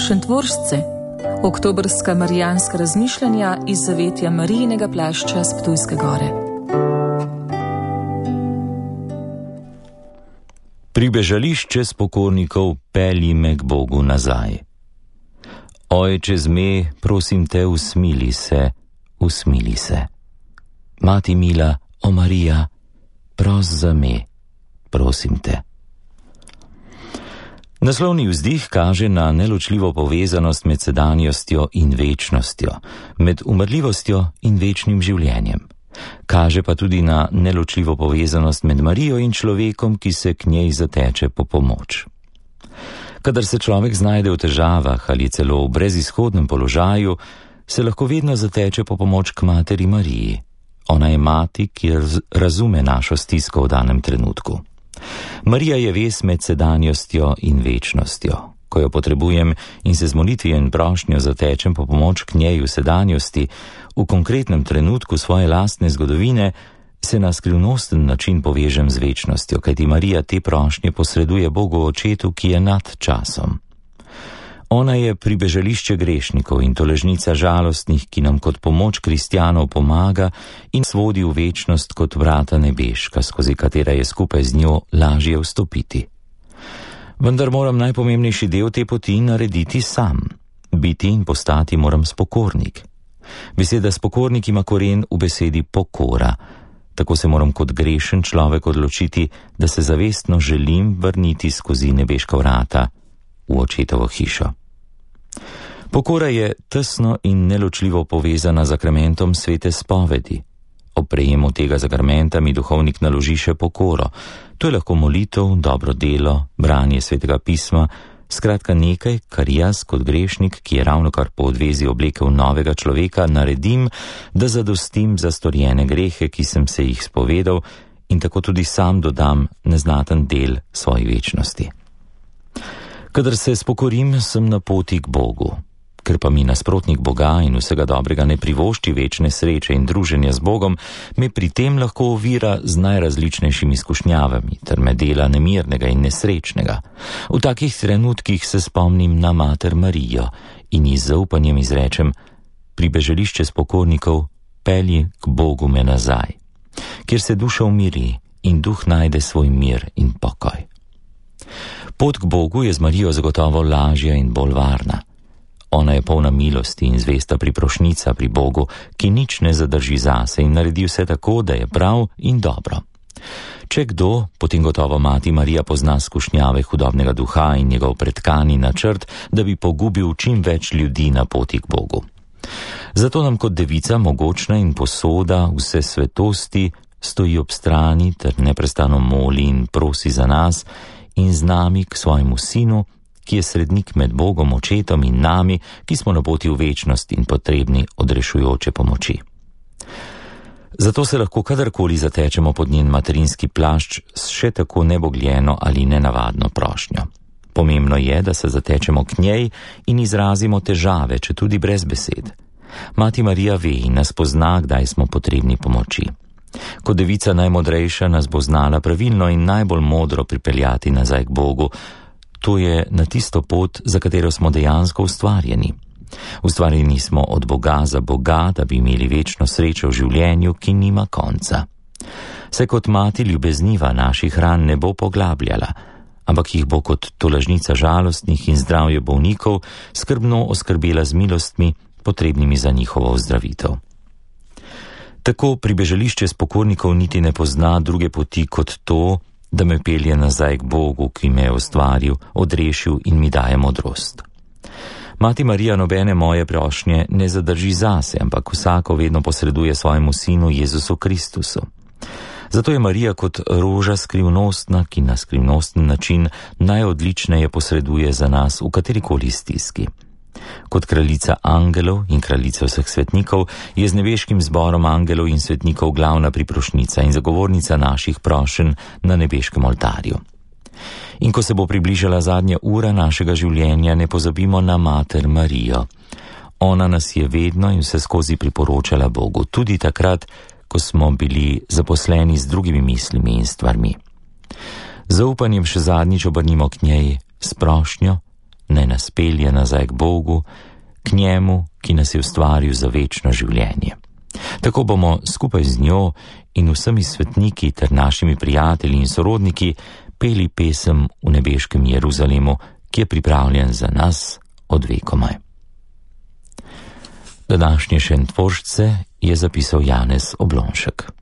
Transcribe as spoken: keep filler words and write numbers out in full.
Šentvoržce, oktobrska marijanska razmišljanja iz zavetja Marijinega plašča s Ptujske gore. Pribežališče spokornikov pelji me k Bogu nazaj. Ojče zme, prosim te, usmili se, usmili se. Mati mila, o Marija, pros za me, prosim te. Naslovni vzdih kaže na neločljivo povezanost med sedanjostjo in večnostjo, med umrljivostjo in večnim življenjem. Kaže pa tudi na neločljivo povezanost med Marijo in človekom, ki se k njej zateče po pomoč. Kadar se človek znajde v težavah ali celo v brezizhodnem položaju, se lahko vedno zateče po pomoč k materi Mariji. Ona je mati, ki razume našo stisko v danem trenutku. Marija je vez med sedanjostjo in večnostjo. Ko jo potrebujem in se z molitvijo in prošnjo zatečem po pomoč k njej v sedanjosti, v konkretnem trenutku svoje lastne zgodovine, se na skrivnosten način povežem z večnostjo, kajti Marija te prošnje posreduje Bogu Očetu, ki je nad časom. Ona je pribežališče grešnikov in tolažnica žalostnih, ki nam kot pomoč kristjanov pomaga in svodi v večnost kot vrata nebeška, skozi katera je skupaj z njo lažje vstopiti. Vendar moram najpomembnejši del te poti narediti sam. Biti in postati moram spokornik. Beseda spokornik ima koren v besedi pokora. Tako se moram kot grešen človek odločiti, da se zavestno želim vrniti skozi nebeška vrata v Očetovo hišo. Pokora je tesno in neločljivo povezana z zakramentom svete spovedi. Ob prejemu tega zakramenta mi duhovnik naloži še pokoro. To je lahko molitev, dobro delo, branje svetega pisma, skratka nekaj, kar jaz kot grešnik, ki je ravnokar po odvezi oblekel novega človeka, naredim, da zadostim za storjene grehe, ki sem se jih spovedal, in tako tudi sam dodam neznaten del svoji večnosti. Kadar se spokorim, sem na poti k Bogu. Ker pa mi nasprotnik Boga in vsega dobrega ne privošči večne sreče in druženja z Bogom, me pri tem lahko ovira z najrazličnejšimi izkušnjavami ter me dela nemirnega in nesrečnega. V takih trenutkih se spomnim na mater Marijo in ji z zaupanjem izrečem: pribežališče spokornikov pelji k Bogu me nazaj, kjer se duša umiri in duh najde svoj mir in pokoj. Pot k Bogu je z Marijo zagotovo lažja in bolj varna. Ona je polna milosti in zvesta priprošnica pri Bogu, ki nič ne zadrži zase in naredi vse tako, da je prav in dobro. Če kdo, potem gotovo mati Marija pozna skušnjave hudobnega duha in njegov pretkani načrt, da bi pogubil čim več ljudi na poti k Bogu. Zato nam kot devica mogočna in posoda vse svetosti stoji ob strani ter neprestano moli in prosi za nas in z nami k svojemu sinu, ki je srednik med Bogom Očetom in nami, ki smo na poti v večnost in potrebni odrešujoče pomoči. Zato se lahko kadarkoli zatečemo pod njen materinski plašč s še tako nebogljeno ali nenavadno prošnjo. Pomembno je, da se zatečemo k njej in izrazimo težave, če tudi brez besed. Mati Marija ve in nas pozna, kdaj smo potrebni pomoči. Kot devica najmodrejša nas bo znala pravilno in najbolj modro pripeljati nazaj k Bogu. To je na tisto pot, za katero smo dejansko ustvarjeni. Ustvarjeni smo od Boga za Boga, da bi imeli večno srečo v življenju, ki nima konca. Se kot mati ljubezniva naših ran ne bo poglabljala, ampak jih bo kot tolažnica žalostnih in zdravje bolnikov skrbno oskrbela z milostmi, potrebnimi za njihovo ozdravitev. Tako pribežališče spokornikov niti ne pozna druge poti kot to, da me pelje nazaj k Bogu, ki me je ustvaril, odrešil in mi daje modrost. Mati Marija nobene moje prošnje ne zadrži zase, ampak vsako vedno posreduje svojemu sinu Jezusu Kristusu. Zato je Marija kot roža skrivnostna, ki na skrivnosten način najodličneje posreduje za nas v katerikoli stiski. Kot kraljica angelov in kraljica vseh svetnikov je z nebeškim zborom angelov in svetnikov glavna priprošnica in zagovornica naših prošenj na nebeškem oltarju. In ko se bo približala zadnja ura našega življenja, ne pozabimo na mater Marijo. Ona nas je vedno in vse skozi priporočala Bogu, tudi takrat, ko smo bili zaposleni z drugimi mislimi in stvarmi. Z zaupanjem še zadnjič obrnimo k njej s prošnjo, naj nas pelje nazaj k Bogu, k njemu, ki nas je ustvaril za večno življenje. Tako bomo skupaj z njo in vsemi svetniki ter našimi prijatelji in sorodniki peli pesem v nebeškem Jeruzalemu, ki je pripravljen za nas od vekomaj. Današnje šentvoržce je zapisal Janez Oblonšek.